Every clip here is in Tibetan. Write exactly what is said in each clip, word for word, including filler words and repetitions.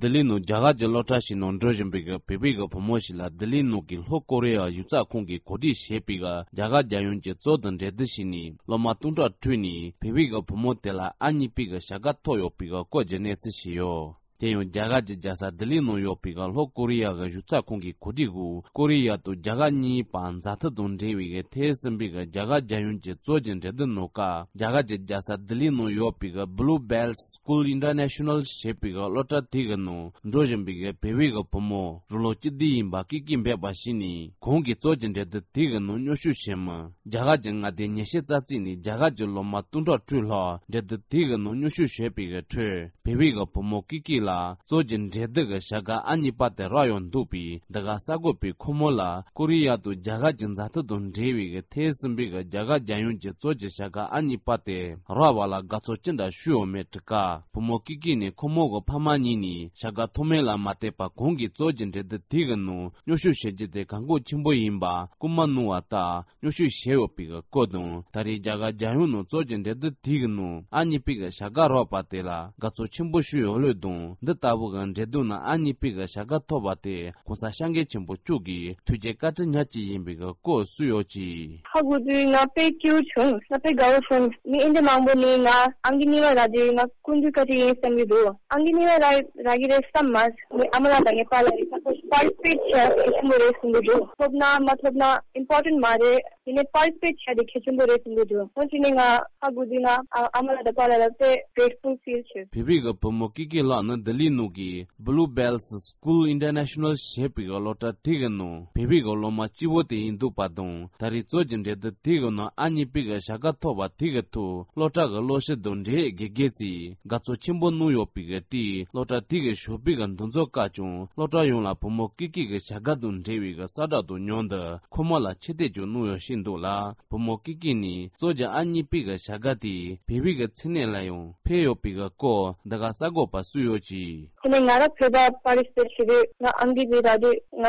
ལྡི་ལི་ནང་རྒྱ་གར་གྱི་སློབ་གྲྭ་ཞིག་ནང་འགྲོ་བཞིན་པའི་གི་བོད་པའི་གི་བུ་མོ་ཞིག་ལ་ལྡི་ལི་ནང་གི་ལྷོ་ཀོ་རི་ཡ་གཞུང་ཚབ་ཁང་གིས་གོ་སྒྲིག་བྱས་པའི་གི་རྒྱ་གར་རྒྱལ་ཡོངས་ཀྱི་གཙོ་དང་འབྲེལ་མཐུད་བྱས་ནས་སློབ་མ་སྟོང་ཕྲག་ཁྲོད་ནས་བོད་པའི་གི་བུ་མོ་དེ་ལ་ཨ་མྱེས་པའི་གི་བྱ་དགའ་ཐོབ་ཡོད་པའི་གི་སྐོར་གྱི་གནས་ཚུལ་ཞིག་ཡོད། དེ་ཡང་རྒྱ་གར་གྱི་རྒྱལ་ས་ལྡི་ལི་ནང་ཡོད་པའི་གི་ལྷོ་ཀོ་རི་ཡ་གི་གཞུང་ཚབ་ཁང་གི་གོ་སྒྲིག་འོག་ཀོ་རི་ཡ་དང་རྒྱ་གར་གཉིས་བར་མཛའ་མཐུན་དང་འབྲེལ་བའི་གི་ཐེངས་གསུམ་པའི་གི་རྒྱ་གར་རྒྱལ་ཡོངས་ཀྱི་གཙོ་གྱི་འགྲན་བསྡུར་ནང་ཀ་རྒྱ་གར་གྱི་རྒྱལ་ས་ལྡི་ལི་ནང་ཡོད་པའི་གི་Blue Bells School International ཞེས་པའི་གི་སློབ་གྲྭ་དེ་གི་ནང་འགྲོ་བཞིན་པའི་གི་བོད་པའི་གི་བུ་མོ་རང་ལོ་བཅུ་བདུན་ཡིན་པ་ཀི་ཀི་འབོད་པ་ཞིག་ནས་གོང་གི་གཙོ་གྱི་འགྲན་བསྡུར་དེ་གི་ནང་མཉམ་ཞུགས་བྱེད་མི་རྒྱ་གར་གྱི་མངའ་སྡེ་ཉི་ཤུ་རྩ་གཅིག་ནས་རྒྱ་གར་གྱི་སློབ་མ་སྟོང་ཕྲག་དྲུག་ལྷག་འགྲན་བསྡུར་དེ་གི་ནང་མཉམ་ཞུགས་བྱས་པའི་གི་ཁྲོད་བོད་པའི་གི་བུ་མོ་ཀི་ཀི་ལ་གཙོ་གྱི་འགྲན་བསྡུར་གི་བྱ་དགའ་ཨ་མྱེས་པ་དེ་རག་ཡོང་འདུག་པས། འདི་ག་གསར་འགོད་པས་ཁོ་མོ་ལ་ཀོ་རི་ཡ་དང་རྒྱ་གར་གྱི་མཛའ་མཐུན་དང་འབྲེལ་བའི་གི་ཐེངས་གསུམ་པའི་གི་རྒྱ་གར་རྒྱལ་ཡོངས་ཀྱི་གཙོ་གྱི་བྱ་དགའ་ཨ་མྱེས་པ་དེ་རག་པ་ལ་དགའ་ཚོར་ཅི་འདྲ་ཞུ་ཡོད་མེད་དྲི་སྐབས། བུ་མོ་ཀི་ཀི་ནས་ཁོ་མོ་གི་ཕ་མ་གཉིས་ནས་བྱ་དགའ་ཐོབ་མིན་ལ་མ་ལྟོས་པར་གོང་གི་གཙོ་གྱི་འགྲན་བསྡུར་དེ་གི་ནང་མཉམ་ཞུགས་བྱེད་རྒྱུ་དེ་གལ་འགངས་ཆེན་པོ་ཡིན་པ་སྐུལ་མ་གནང་བ་ལྟར། མཉམ་ཞུགས་བྱས་ཡོད་པའི་སྐོར་དང་། ད་རེས་རྒྱ་གར་རྒྱལ་ཡོངས་ནང་གཙོ་གྱི་འགྲན་བསྡུར་དེ་གི་ནང་ཨ་མྱེས་པའི་བྱ་དགའ་རག་པ་དེ་ལ་དགའ་ཚོར་ཆེན་པོ་ཞུ་ཡོད་ལུགས་དང་། འདི་ལྟ་བུ་གི་འགྲན་བསྡུར་ནང་ཨ་མྱེས་པའི་བྱ་དགའ་ཐོབ་པ་དེ་གོང་ས་སྐྱབས་མགོན་ཆེན་པོ་མཆོག་གི་ཐུགས་རྗེ་བཀའ་དྲིན་ཉག་གཅིག་ཡིན་པའི་སྐོར་གསུངས་ཡོད་ཅིང་། ཧ་གོ་དུས་ང་དཔེ་སྐྱིད་པོ་བྱུང་། ང་དཔེ་དགའ་བོ་བྱུང་། མི་ཨིན་ཇི་མང་པོ་ནི་ང་ཨང་ཀི་གཉིས་པ་རག་དུས་ང་ཀུན་ཏུ་བཀའ་དྲིན་ཡིན་བསམ་གྱི་འདུག་ཨང་ཀི་གཉིས་པ་རག་རག་གི་རེད་བསམ་མ། ངའི་ཨ་མ་ལགས་དང་ངའི་པཱ་ལགས་ཀྱིས་ཁོ་པར་ཊི་སི་པེཊ་བྱས་ཤེས་ཆེན་པོ་རེད་གསུང་གི་འདུག་ཐོབ་ན་མ་ཐོབ་ན་ཨིམ་པོར་ཊེན་ཊི་མ་རེད། དེ་ནས་པར་ཊི་སི་པེཊ་བྱས་དེ་གལ་ཆེན་པོ་རེད་གསུང་གི་འདུག་འོན་ཀྱང་ནི་ང་ཧ་གོ་དུས་ང་ཨ་ཨ་མ་ལགས་དང་པཱ་ལགས་ལ་དཔེ་གྲེ་ཊི་ཕུལ་ཕིལ་བྱེད། བོད་པའི་གི་བུ་མོ་ཀི་ཀི་ལགས་ནི་ལྡི་ལི་ནང་གི་Blue Bells School International ཞེས་པའི་གི་སློབ་གྲྭ་དེ་གི་ནང་བོད་པའི་གི་སློབ་མ་གཅིག་པོ་དེ་ཡིན་འདུག་པ་དང་། ད་རེས་གཙོ་གྱི་འགྲན་བསྡུར་དེ་གི་ནང་ཨ་མྱེས་པའི་གི་བྱ་དགའ་ཐོབ་པ་དེ་གི་ཐོག་སློབ་གྲྭ་གི་སློབ་སྤྱི་དང་འབྲེལ་ཡོད་དགེ་རྒན་ཚོས་དགའ་ཚོར་ཆེན་པོ་གནང་ཡོད་པའི་གི་དེས་སློབ་གྲྭ་དེ་གི་ཞོགས་པའི་གི་འདུ་འཛོམས་སྐབས་ཀྱང་སློབ་གྲྭ་ཡོངས་ལ་བུ་མོ་ཀི་ཀི་གི་བྱ་དགའ་དང་འབྲེལ་བའི་གི་གསལ་བསྒྲགས་དང་མཉམ་དུ་ཁོ་མོ་ལ་ཆེ་བསྟོད་ཀྱང་གནང་ཡོད་ཤེས་འདུག་ལ། བུ་མོ་ཀི་ཀི་ནས་གཙོ་གྱི་ཨ་མྱེས་པའི་གི་བྱ་དགའ་དེ་བོད་པའི་གི་མཚན་གནས་ལ་ཡང་ཕན་ཡོད་པའི་གི་སྐོར་འདི་ག་གསར་འགོད་པ་གསུངས་ཡོད་ཅིང་། དེ་ནས་ང་རང་བོད་པ་པར་ཊི་སི་པེཊ་བྱེད་དུས་ང་ཨང་ཀི་དེ་རག་དུས་ང་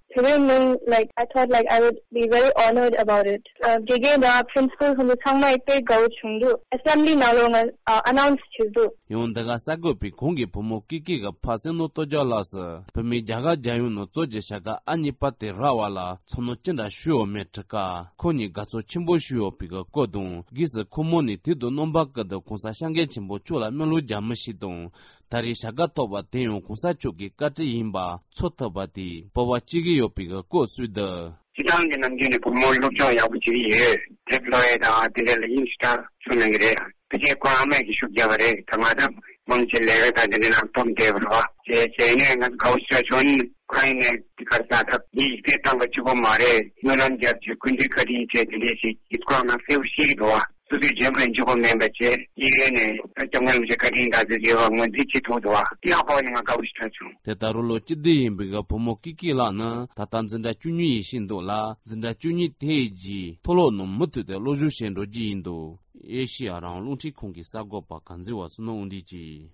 བོད་པའི་མིང་like I thought like I would be very honored about it. ཨ་དགེ་རྒན་དང་པི་རིན་སི་པལ་ཁོང་ཚོ་ཚང་མ་ཡིས་དཔེ་དགའ་བོ་བྱུང་འདུག་ཨེ་སེམ་བྷི་ལི་ནང་ལོགས་ང་ཨ་ཨ་ནའུན་སི་བྱས་འདུག་ཡང་འདི་ག་གསར་འགོད་པས་གོང་གི་བུ་མོ་ཀི་ཀི་གི་ཕ་བསོད་ནམས་སྟོབས་རྒྱལ་ལགས་སུ་བོད་མིས་རྒྱ་གར་རྒྱལ་ཡོངས་ནང་གཙོ་གྱི་བྱ་དགའ་ཨ་མྱེས་པ་དེ་རག་པ་ལ་ཚོར་སྣང་ཅི་འདྲ་ཞུས་ཡོད་མེད་དྲི་སྐབས། ཁོང་ཉིད་དགའ་ཚོར་ཆེན་པོ་ཞུས་ཡོད་པའི་གི་སྐོར་དང་། སྒོས་སུ་ཁོ་མོ་ནས་དུས་དང་རྣམ་པ་ཀུན་ཏུ་གོང་ས་སྐྱབས་མགོན་ཆེན་པོ་མཆོག་ལ་སྨོན་ལམ་རྒྱག་མི་ཞིག་དང་། ད་རེས་བྱ་དགའ་ཐོབ་པ་དེ་ཡང་གོང་ས་མཆོག་གི་བཀའ་དྲིན་ཡིན་པ་ཚོར་ཐུབ་པ་དེས་སྤོབས་པ་སྐྱེ་གི་ཡོད་པའི་གི་སྐོར་གསུངས་འདུག་སྤྱིར་བཏང་གི་ནམ་རྒྱུན་ནས་བུ་མོ་སློབ་སྦྱོང་ཡག་པོ་བྱེད་ཀྱི་ཡོད། དེབ་ཀློག་ཡས་དང་དེ་འདྲ་ལ་དབྱིངས་ཞེ་དྲག་ཤུགས་གནང་གི་རེད། ཕལ་ཆེར་ཁོ་ཨ་མས་ཀྱི་ཤུགས་རྒྱབ་པ་རེད། ད་ང་ད་མང་ཆེ་ལས་ཀ་དང་དེ་འདྲ་ནང་སྟོབས་ལྡན་པ་རེད་བ། བྱས་བྱས་ནས་ང་ཚོ་དགའ་བོ་ཞེ་དྲག་བྱུང་། ཁོ་ཡིན་ནས་དེ་གར་ས་ཐག་ཡིག་སྤྲད་བཏང་བ་གཅིག་པོ་མ་རེད། སྨོན་ལམ་རྒྱབ་བྱས་སྐུ་མདུན་བཀའ་དྲིན་ཆེ་དེ་འདྲས་ཞིག་ཡིག་སྐོར་ནང་གསལ་པོ་བཤད་ཀྱི་འདུག་བ། སོ་སོའི་འཇོན་པོའི་འཇུག་པ་མིན་པ་བྱས་ཡིན་ནས་སྐྱབས་མགོན་རིན་པོ་ཆེ་བཀའ་དྲིན་དགའ་ཚོར་བྱེད་པ་ངོས་འཛིན་བྱེད་ཐུབ་འདུག་བ། དེ་ཡང་ཕོག་ནས་ང་དགའ་བོ་ཞེ་དྲག་བྱུང་། དེ་ལྟར་རུ་ལོ་བཅུ་བདུན་ཡིན་པའི་གི་བུ་མོ་ཀི་ཀི་ལགས་ནི་ད་ལྟ་འཛིན་གྲྭ་བཅུ་གཉིས་ཡིན་བཞིན་འདུག་ལ། འཛིན་གྲྭ་བཅུ་གཉིས་དེའི་རྗེས་མཐོ་སློབ་ནང་མུ་མཐུད་དེ་སློབ་སྦྱོང་བྱེད་འགྲོ་རྒྱུ་ཡིན་འདུག་ཨེ་ཤེ་ཡ་རང་དབང་རླུང་འཕྲིན་ཁང་གི་གསར་འགོད་པ་གངས་འཛིན་པ་བསོད་ནམས་དབང་འདུས་ཀྱིས།